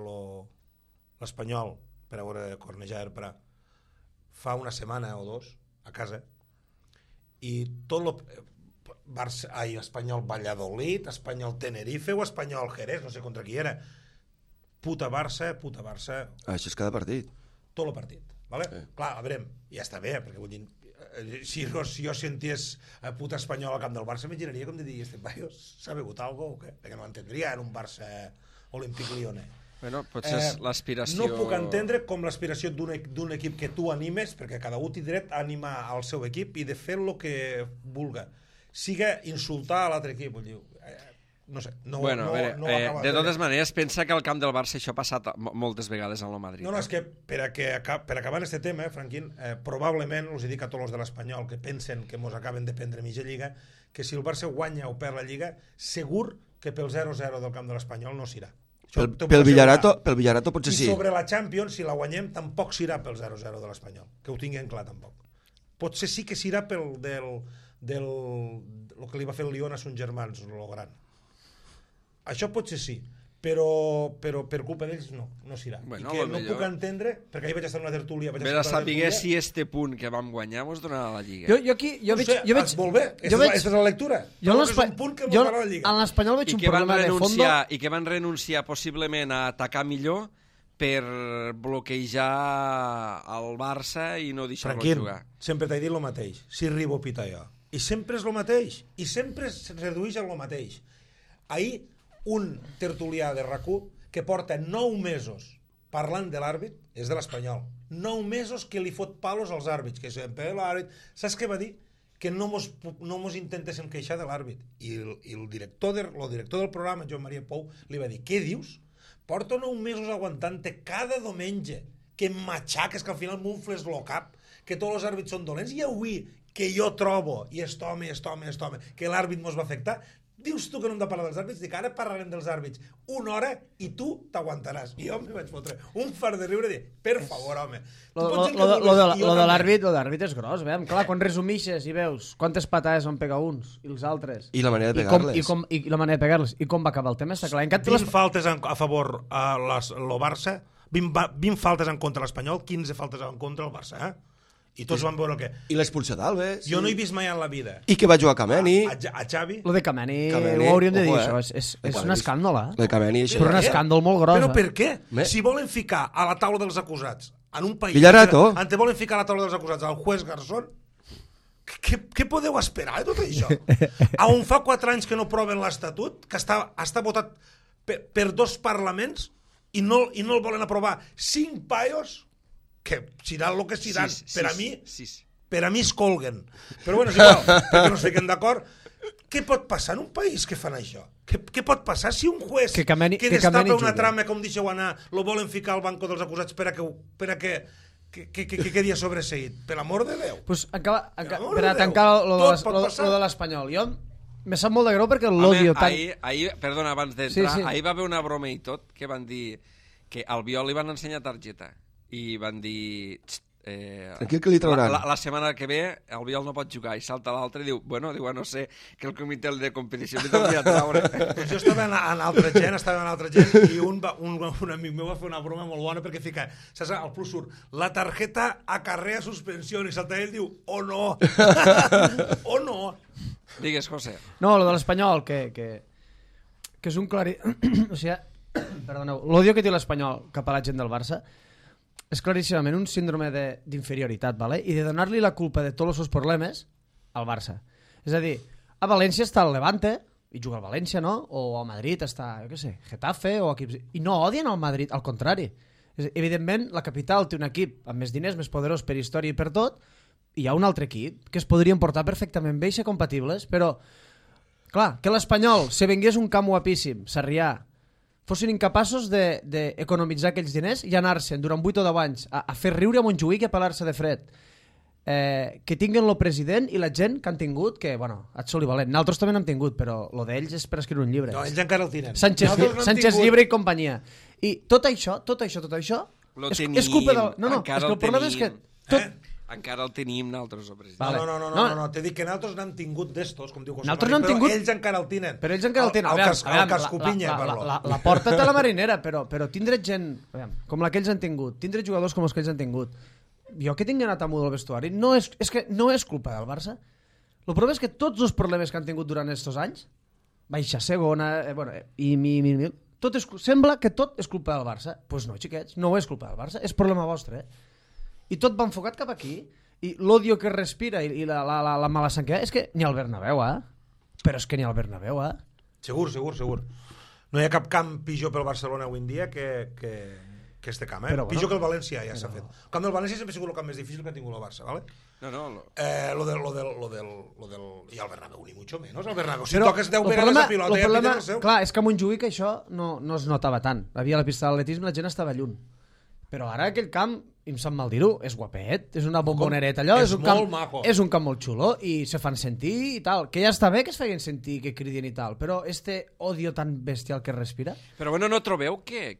l'Espanyol per a veure Cornellà Erpra fa una setmana o 2 a casa i tot Espanyol Valladolid, Espanyol Tenerife o Espanyol Jerez, no sé contra qui era, puta Barça. Això és cada partit. Tot el partit, vale? Clar, a veure, ja està bé, perquè vull dir, si jo sentés a puta Espanyol al camp del Barça, m'imaginaria com de dir, este paio s'ha begut algo o què? Perquè no entendria en un Barça Olímpic Lione. Bueno, potser és l'aspiració... No puc entendre com l'aspiració d'un equip que tu animes, perquè cada un té dret a animar el seu equip i de fer el que vulga. Siga insultar a l'altre equip, vull dir... No sé, de totes maneres, pensa que al camp del Barça això ha passat moltes vegades en el Madrid. No, és que per acabar en aquest tema, Franquín, probablement, us dic a tots els de l'Espanyol que pensen que mos acaben de prendre mitja lliga, que si el Barça guanya o perd la lliga, segur que pel 0-0 del camp de l'Espanyol no s'irà. Pel Villarato potser sí. I sobre la Champions, si la guanyem, tampoc s'irà pel 0-0 de l'Espanyol. Que ho tinguin clar, tampoc. Potser sí que s'irà pel el que li va fer el Lyon a Son Germans, el gran. Això potser sí, però per culpa d'ells no s'irà. Bueno, I que no puc entendre, perquè ahir vaig estar en una tertúlia... Ve de saber si este punt que vam guanyar mos donarà la Lliga. Jo veig... Molt bé, aquesta és la lectura. És un punt que mos donarà la Lliga. En l'Espanyol veig un problema de fondo... I que van renunciar possiblement a atacar millor per bloquejar el Barça i no deixar-lo jugar. Sempre t'he dit el mateix. Si Ribo pita jo. I sempre és el mateix. I sempre es redueix a el mateix. Ahir un tertulià de RAC1 que porta 9 mesos parlant de l'àrbit, és de l'Espanyol, 9 mesos que li fot palos als àrbits, que sempre l'àrbit, saps què va dir? Que no mos intentéssim queixar de l'àrbit, i el director del programa, Joan Maria Pou, li va dir, què dius? Porto 9 mesos aguantant-te cada diumenge, que em matxaques, que al final m'unfles el cap, que tots els àrbits són dolents, i avui que jo trobo, i est home, que l'àrbit mos va afectar, dius tu que no hem de parlar dels àrbits? Dic, ara parlarem dels àrbits 1 hora i tu t'aguantaràs. I jo me vaig fotre un fart de riure i dir, per favor, home. Lo de l'àrbit és gros, veiem. Clar, quan resumixes i veus quantes patades van pegar uns i els altres. I la manera de pegar-les. I la manera de pegar-les. I com va acabar el tema, està clar. 20 faltes a favor lo Barça, 20 faltes en contra l'Espanyol, 15 faltes en contra el Barça, I tots van veure el que... I l'expulsió d'Alves. Jo no he vist mai en la vida. I que va jugar Kameni. A Xavi. Lo de Kameni ho hauríem de dir, això. És un escàndol, Lo de Kameni, això. Però un escàndol molt gros. Però per què? Si volen ficar a la taula dels acusats en un país... Villarato. On te volen ficar a la taula dels acusats al juez Garzón, què podeu esperar de tot això? On fa 4 anys que no proven l'Estatut, que està votat per 2 parlaments i no el volen aprovar 5 paios que seran el que seran, per a mi es colguen. Però bueno, és igual, perquè no es fiquen d'acord. Què pot passar en un país que fan això? Què pot passar si un juez que destapa una trama, com deixeu anar, lo volen ficar al banco dels acusats per a que quedi sobreseït? Per l'amor de Déu. Pues per a tancar lo de l'Espanyol, jo Me sap molt de greu perquè l'odio tan... Ahir, perdona, abans d'entrar, Sí. ahir va haver una broma i tot, que van dir que al Biol li van ensenyar targeta i van dir... Tranquil, que li trauran. La setmana que ve el Biol no pot jugar i salta l'altre i diu, no sé, que el comitè de competició li torni a traure. Doncs jo estava en altra gent, i un amic meu va fer una broma molt bona perquè fica, saps, al plus surt, la tarjeta acarrea suspensió, i salta ell i diu, oh no, oh no. Digues, José. No, lo de l'Espanyol, que és un clari... o sigui, perdoneu, l'odio que té l'Espanyol cap a la gent del Barça és claríssimament un síndrome d'inferioritat, ¿vale? I de donar-li la culpa de tots els seus problemes al Barça. És a dir, a València està el Levante, i juga al València, no? O a Madrid està, jo què sé, Getafe, o equips... I no odien al Madrid, al contrari. Evidentment, la capital té un equip amb més diners, més poderós per història i per tot, i hi ha un altre equip que es podrien portar perfectament bé i ser compatibles, però, clar, que l'Espanyol, si vengués un camp guapíssim, Sarrià, fossin incapaços d'economitzar aquells diners i anar-se'n durant 8 o 10 anys a fer riure a Montjuïc i a pelar-se de fred. Que tinguin el president i la gent que han tingut, que, bueno, et soli valent. Nosaltres també n'hem tingut, però lo d'ells és per escriure un llibre. No, ells encara el tenen. Sánchez Llibre i companyia. I tot això és culpa del... No, és que el problema és que... Encara el tenim nosaltres, el president. Vale. No, t'he dit que nosaltres n'hem tingut d'estos, com diu José Mari, però ells encara el tenen. Però ells encara el tenen. El Cascopinya, parlo. La porta té la marinera, però tindre gent com la que ells han tingut, tindre jugadors com els que ells han tingut, jo que tinc anat amunt al vestuari, és que no és culpa del Barça. El problema és que tots els problemes que han tingut durant aquests anys, baixa segona, sembla que tot és culpa del Barça. Doncs no, xiquets, no és culpa del Barça, és problema vostre, I tot va enfocat cap aquí, i l'odio que respira i la mala sang que hi ha, és que ni al Bernabéu, però és que ni al Bernabéu, Segur. No hi ha cap camp pitjor pel Barcelona avui en dia que este camp, Però, pitjor que el València ja s'ha fet. El camp del València sempre ha sigut el camp més difícil que ha tingut el Barça, ¿vale? Lo del... I el Bernabéu, ni mucho menos, el Bernabéu. Si toques 10 vegades la pilota, ja pites el seu. Clar, és que a Montjuïc això no es notava tant. Havia la pista d'atletisme, la gent estava lluny. Però ara aquell camp, em sap mal dir-ho, és guapet, és una bombonereta allò, és un camp molt maco. És un camp molt xulo i se fan sentir i tal, que ja està bé que es feien sentir, que cridin i tal, però este odio tan bestial que respira... Però bueno, no trobeu que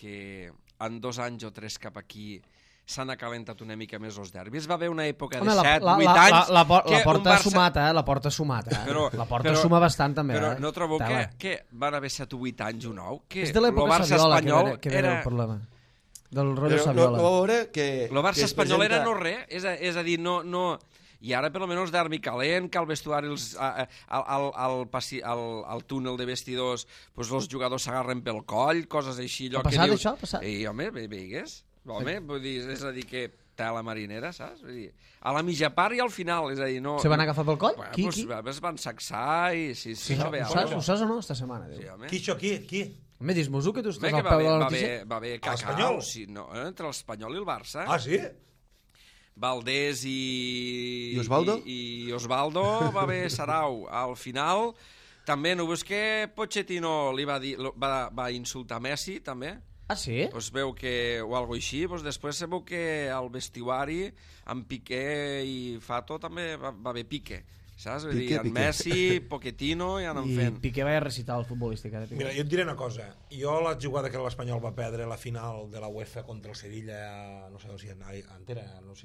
en 2 anys o 3 cap aquí s'han acalentat una mica més els derbis? Va haver una època de 7-8 anys... La porta ha sumat, la porta ha sumat, la porta suma bastant també, Però no trobeu que van haver 7 o 8 anys o 9? És de l'època Saviola que ve el problema. Del rotllo Saviola. El Barça espanyol era no res, és a dir, no... I ara, per almenys, derbi calent, que al vestuari, al túnel de vestidors, els jugadors s'agarren pel coll, coses així. Ha passat això? Ha passat? I, home, veigues? Home, és a dir, que tela marinera, saps? A la mitja part i al final, és a dir, no... Se van agafar pel coll? Qui? Es van sacsar i... Sí, ho saps o no, esta setmana? Qui? Home, dis-mos-ho, que tu estàs al peu de la notícia. Va haver cacau, entre l'Espanyol i el Barça. Ah, sí? Valdés i Osvaldo? I Osvaldo va haver sarau. Al final, també no veus que Pochettino li va insultar Messi, també? Ah, sí? Pues veu que, o algo així, pues després se veu que al vestuari, amb Piqué i Fato també va haver pique. Saps? Vull dir, en Messi, Pochettino i anem fent. I Piqué va recitar el futbolístic. Mira, jo et diré una cosa. Jo la jugada que l'Espanyol va perdre la final de la UEFA contra el Sevilla, no sé si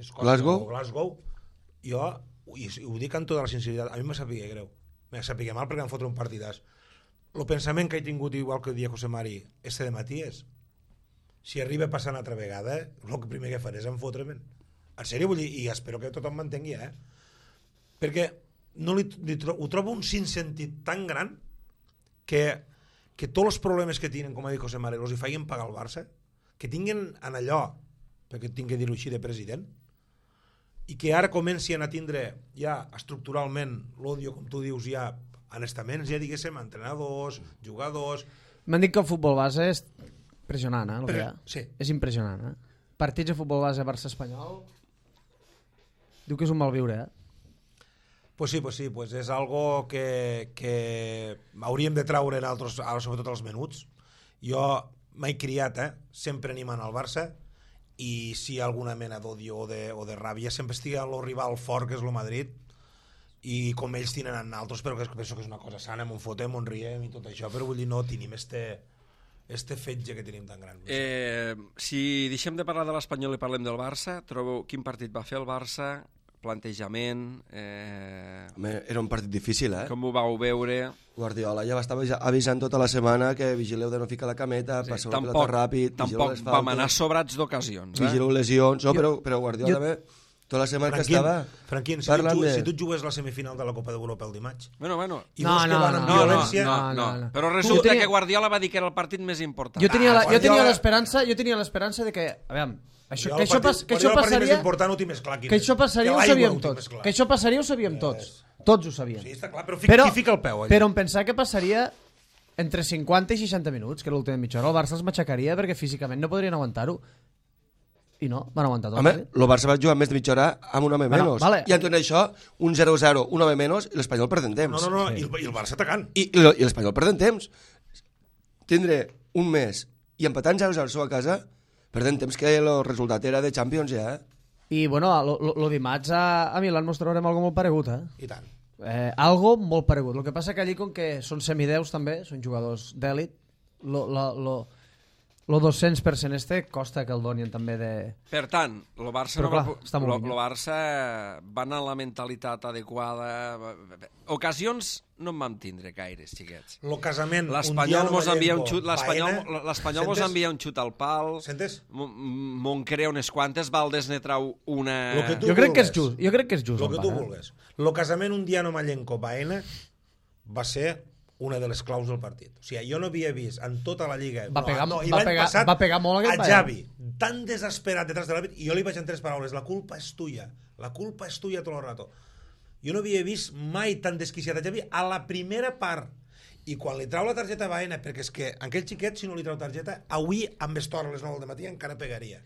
Escòcia o Glasgow, jo, i ho dic amb tota la sinceritat, a mi me sapigué greu. Me sapigué mal perquè em fotre un partidàs. El pensament que he tingut, igual que dia José Mari, este de matí és, si arriba a passar una altra vegada, el primer que faré és enfotre'm. En sèrio, vull dir, i espero que tothom m'entengui, perquè ho trobo un sinsentit tan gran que tots els problemes que tenen, com ha dit José Mare, els hi feien pagar al Barça, que tinguin en allò, perquè tinc que dir-ho així de president, i que ara comencin a tindre ja estructuralment l'odio, com tu dius, ja en estaments, ja diguéssim, entrenadors, jugadors... M'han dit que el futbol base és impressionant, el que hi ha. Sí. És impressionant, Partits de futbol base Barça-Espanyol diu que és un mal viure, Pues sí, és algo que hauríem de treure nosaltres, sobretot els menuts. Jo m'he criat, sempre animant al Barça, i si hi ha alguna mena d'odio o de ràbia, sempre estigui al rival fort, que és el Madrid, i com ells tenen en altres, però que penso que és una cosa sana, m'ho fotem, m'ho riem i tot això, però vull dir, no tenim este fetge que tenim tan gran. Si deixem de parlar de l'Espanyol i parlem del Barça, trobeu quin partit va fer el Barça, plantejament... Home, era un partit difícil, Com ho vau veure? Guardiola ja va estar avisant tota la setmana que vigileu de no ficar la cameta, passeu la pilota ràpid, vigileu les faltes... Tampoc vam anar sobrats d'ocasions. Vigileu lesions, no, però Guardiola també... Tota la setmana que estava... Franquín, si tu jugues la semifinal de la Copa d'Europa el dimarts... Bueno. I veus que van amb violència... No. Però resulta que Guardiola va dir que era el partit més important. Jo tenia l'esperança de que... A veure, que això passaria ho sabíem tots. Que això passaria ho sabíem tots. Tots ho sabíem. Sí, està clar, però qui fica el peu allà? Però em pensava que passaria entre 50 i 60 minuts, que era l'última mitja hora. El Barça els matxacaria perquè físicament no podrien aguantar-ho. I no, van aguantar tot. Home, el Barça va jugar més de mitja hora amb un home menys. Vale. I entonces això, un 0-0, un home menys, i l'Espanyol perdent temps. No, i el Barça atacant. I l'Espanyol perdent temps. Tindre un mes i empatant 0-0 a casa, perdent temps que el resultat era de Champions ja, I, bueno, lo dimarts a Milán mos trobarem algo molt paregut, I tant. Algo molt paregut. El que passa que allí, com que són semideus també, són jugadors d'èlit, lo 200% costa que el donien també de... Per tant, el Barça, Barça va anar amb la mentalitat adequada. Ocasions no en vam tindre gaires, xiquets. Lo casament, l'Espanyol mos envia un xut, l'Espanyol mos envia un xut al pal. Sentes? Moncrea unes quantes, Valdés ne trau una... Jo crec que és just. Lo que tu vulgues. Lo casament Undiano Mallenco-Baena va ser una de les claus del partit. O sigui, jo no havia vist en tota la Lliga... Va pegar molt aquest a Xavi, tan desesperat detrás de l'àrbit, i jo li vaig en 3 paraules: la culpa és tuya tot el rato. Jo no havia vist mai tan desquiciat a Xavi a la primera part. I quan li trau la targeta a Baena, perquè és que aquell xiquet, si no li trau targeta, avui amb estora a les 9 del matí encara pegaria.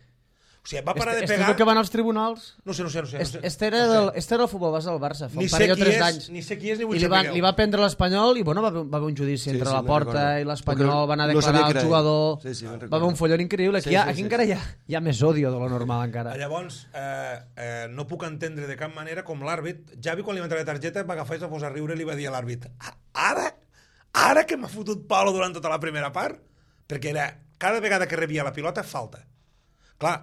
O sigui, va parar de pegar... És el que van als tribunals? No sé. Este era el futbol base del Barça, fa un parell o 3 d'anys. Ni sé qui és, ni vull saber. I li va prendre l'Espanyol i, bueno, va haver un judici entre la Porta i l'Espanyol, van a declarar el jugador, va haver un follon increïble. Aquí encara hi ha més odio de lo normal encara. Llavors, no puc entendre de cap manera com l'àrbit, Xavi, quan li va entrar la targeta, va agafar i es va posar a riure i li va dir a l'àrbit: ara que m'ha fotut palo durant tota la primera part, perquè era cada vegada que rebia la pilota, falta. Clar,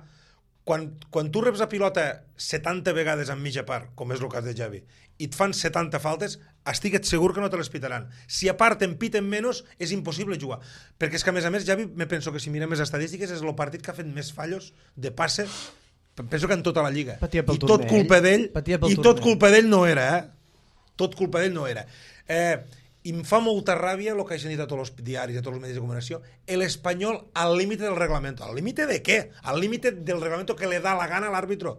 quan tu reps la pilota 70 vegades en mitja part, com és el cas de Xavi, i et fan 70 faltes, estigue't segur que no te les pitaran. Si a part en piten menys, és impossible jugar. Perquè és que, a més, Xavi, me penso que si mirem les estadístiques, és el partit que ha fet més fallos de passe, penso que en tota la Lliga. I tot culpa d'ell, no era, Tot culpa d'ell no era. I em fa molta ràbia el que hagin dit a tots els diaris, a tots els medis de comunicació, l'Espanyol al límite del reglamento. ¿Al límite de què? Al límite del reglamento que le da la gana a l'àrbitro.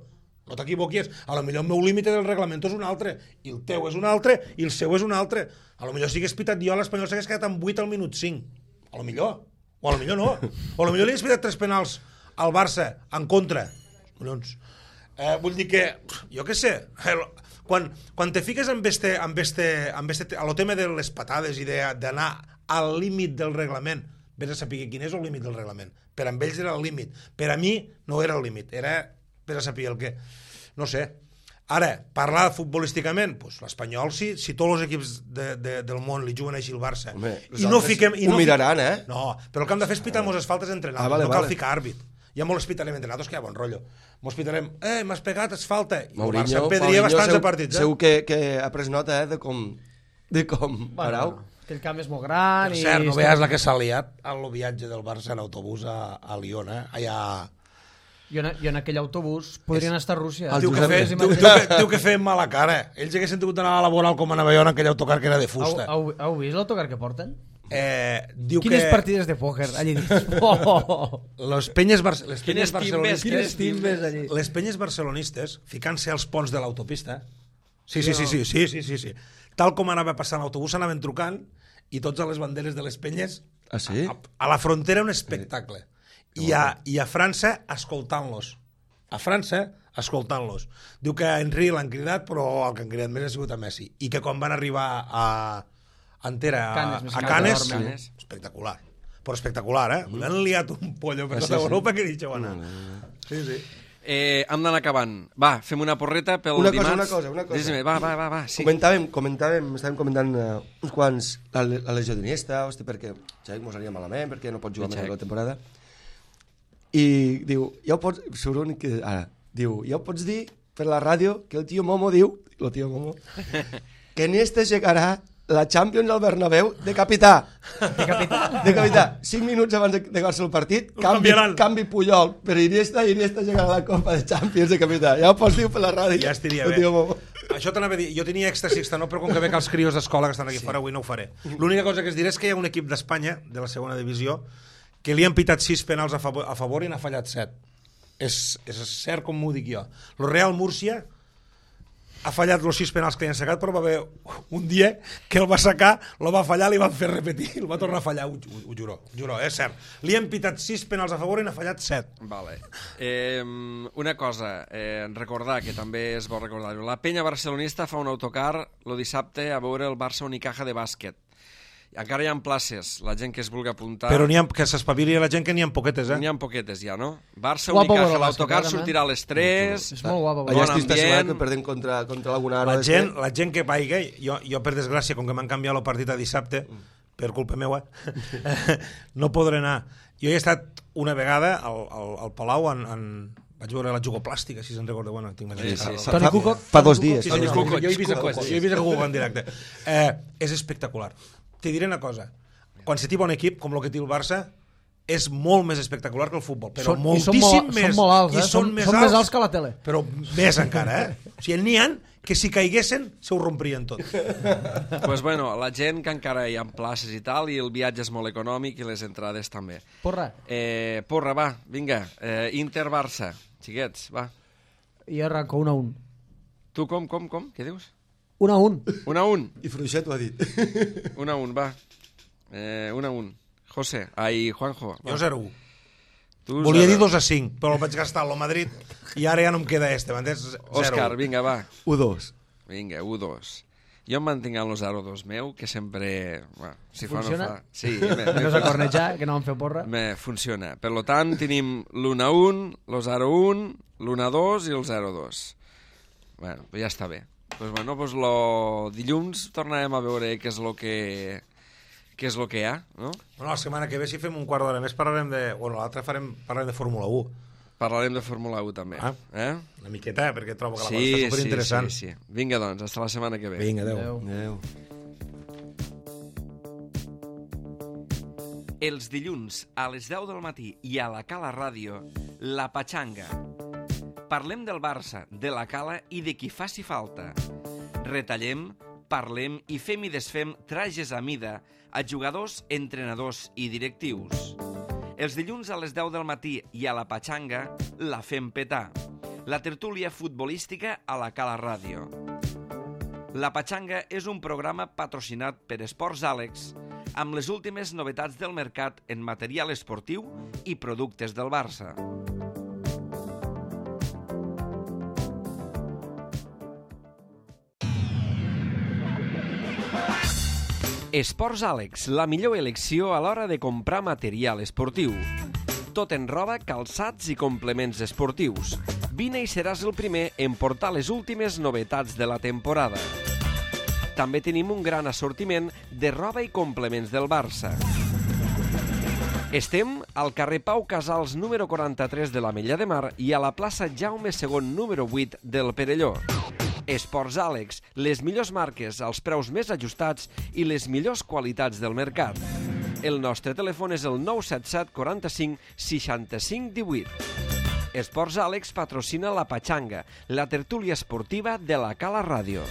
No t'equivoquis, a lo millor el meu límite del reglamento és un altre, i el teu és un altre, i el seu és un altre. A lo millor si hagués pitat jo, l'Espanyol s'hagués quedat amb 8 al minut 5. A lo millor. O a lo millor no. O a lo millor li hagués pitat 3 penals al Barça en contra. Vull dir que, jo què sé... Quan te fiques amb el tema de les patades i d'anar al límit del reglament, vés a saber quin és el límit del reglament. Per a ells era el límit. Per a mi no era el límit. Era vés a saber el què. No sé. Ara, parlar futbolísticament, pues, l'Espanyol, si tots els equips del món li juguen així al Barça... Home, ho miraran, No, però el que hem de fer és pitar-nos les faltes entre nosaltres. No cal ficar àrbit. Ja molt els pitarem entre nosaltres, que hi ha bon rotllo. Mos pitarem, m'has pegat, és falta. I el Barça pedria bastants de partits. Segur que ha pres nota de com parau. Que el camp és molt gran. Per cert, no veies la que s'ha liat al viatge del Barça en autobús a Lyon, allà... Jo en aquell autobús podrien estar a Rússia. Diu que feien mala cara. Ells haguessin tingut d'anar a laboral com a Nova York en aquell autocar que era de fusta. Heu vist l'autocar que porten? Quines partides de pòquer allí dins? Les penyes barcelonistes ficant-se als ponts de l'autopista. Sí. Tal com anava passant l'autobús, anaven trucant i tots a les banderes de les penyes a la frontera un espectacle. I a França escoltant-los. Diu que a Henry l'han cridat, però el que han cridat més ha sigut a Messi. I que quan van arribar a Canes, espectacular. Però espectacular, L'han liat un pollo per tota Europa que dicho, bueno. Sí. hem d'anar acabant. Va, fem una porreta pel dimarts. Una cosa. Digues-me, va, sí. Estàvem comentant uns quants la lesió d'Iniesta, perquè Xavi mos aniria malament, perquè no pot jugar més la temporada. I diu, ja ho pots... Diu, ja ho pots dir per la ràdio que el tio Momo diu, que Iniesta llegarà la Champions al Bernabéu de capità. De capità. 5 minuts abans d'acabar-se el partit, canvi Puyol per Iniesta i Iniesta llegarà a la Copa de Champions de capità. Ja ho pots dir per la ràdio. Ja estiria bé. Això t'anava a dir, jo tenia èxtasis, no, però com que veig els crios d'escola que estan aquí fora, avui no ho faré. L'única cosa que es diré és que hi ha un equip d'Espanya, de la segona divisió, que li han pitat 6 penals a favor i n'ha fallat 7. És cert com m'ho dic jo. El Real Múrcia ha fallat els 6 penals que li han sacat, però va haver un dia que el va sacar, el va fallar, li van fer repetir, el va tornar a fallar, ho juro, és cert. Li han pitat 6 penals a favor i n'ha fallat 7. Vale. Una cosa, recordar, que també és bo recordar-ho, la penya barcelonista fa un autocar el dissabte a veure el Barça Unicaja de bàsquet. Encara hi ha places, la gent que es vulgui apuntar... Però que s'espavili la gent que n'hi ha poquetes, N'hi ha poquetes ja, no? Barça Unicaja, l'autocar sortirà a les 3... És molt guapo. Allà estic setmana que perdem contra alguna la gent que vagi, jo per desgràcia, com que m'han canviat el partit a dissabte, per culpa meua, no podré anar. Jo he estat una vegada al Palau vaig veure la jugoplàstica, si se'n recorda. Bueno, tinc Toni Kukoc? Fa 2 dies. Jo he vist a Kukoc en directe. És espectacular. Te diré una cosa, quan se t'hi va un equip com el que té el Barça, és molt més espectacular que el futbol, però moltíssim més. Són molt alts, són més alts que la tele. Però més encara, O sigui, n'hi ha que si caiguessin se ho romprien tot. Pues bueno, la gent que encara hi ha places i tal, i el viatge és molt econòmic i les entrades també. Porra. Porra, va, vinga. Inter-Barça, xiquets, va. I arranco 1-1. Tu com? Què dius? 1-1. 1-1. I Fruixet ho ha dit. 1-1, va. 1-1. José, Juanjo. Jo 0-1. Volia dir 2-5, però el vaig gastar al Madrid i ara ja no em queda m'entens? 0-1. Òscar, vinga, va. 1-2. Vinga, 1-2. Jo em mantinc amb el 0-2 meu, que sempre... Bueno, si funciona? Fa, no fa. Sí, no s'ha cornejar, que no vam fer porra. Funciona. Per tant, tenim l'1-1, el 0-1, l'1-2 i el 0-2. Bueno, ja està bé. Pues dilluns tornarem a veure què és el que hi ha, no? Bueno, la setmana que ve si fem un quart d'hora més parlarem de... Bueno, l'altre parlarem de Fórmula 1. Parlarem de Fórmula 1 també. Una miqueta, perquè trobo que la cosa està superinteressant. Sí. Vinga, doncs, hasta la setmana que ve. Vinga, adeu. Els dilluns a les 10 del matí i a la Cala Ràdio, La Patxanga. Parlem del Barça, de la Cala i de qui faci falta. Retallem, parlem i fem i desfem trajes a mida a jugadors, entrenadors i directius. Els dilluns a les 10 del matí i a la Patxanga la fem petar. La tertúlia futbolística a la Cala Ràdio. La Patxanga és un programa patrocinat per Esports Àlex amb les últimes novetats del mercat en material esportiu i productes del Barça. Esports Àlex, la millor elecció a l'hora de comprar material esportiu. Tot en roba, calçats i complements esportius. Vine i seràs el primer en portar les últimes novetats de la temporada. També tenim un gran assortiment de roba i complements del Barça. Estem al carrer Pau Casals número 43 de l'Ametlla de Mar i a la plaça Jaume II número 8 del Perelló. Esports Àlex, les millors marques, els preus més ajustats i les millors qualitats del mercat. El nostre telèfon és el 977 45 65 18. Esports Àlex patrocina La Patxanga, la tertúlia esportiva de la Cala Ràdio.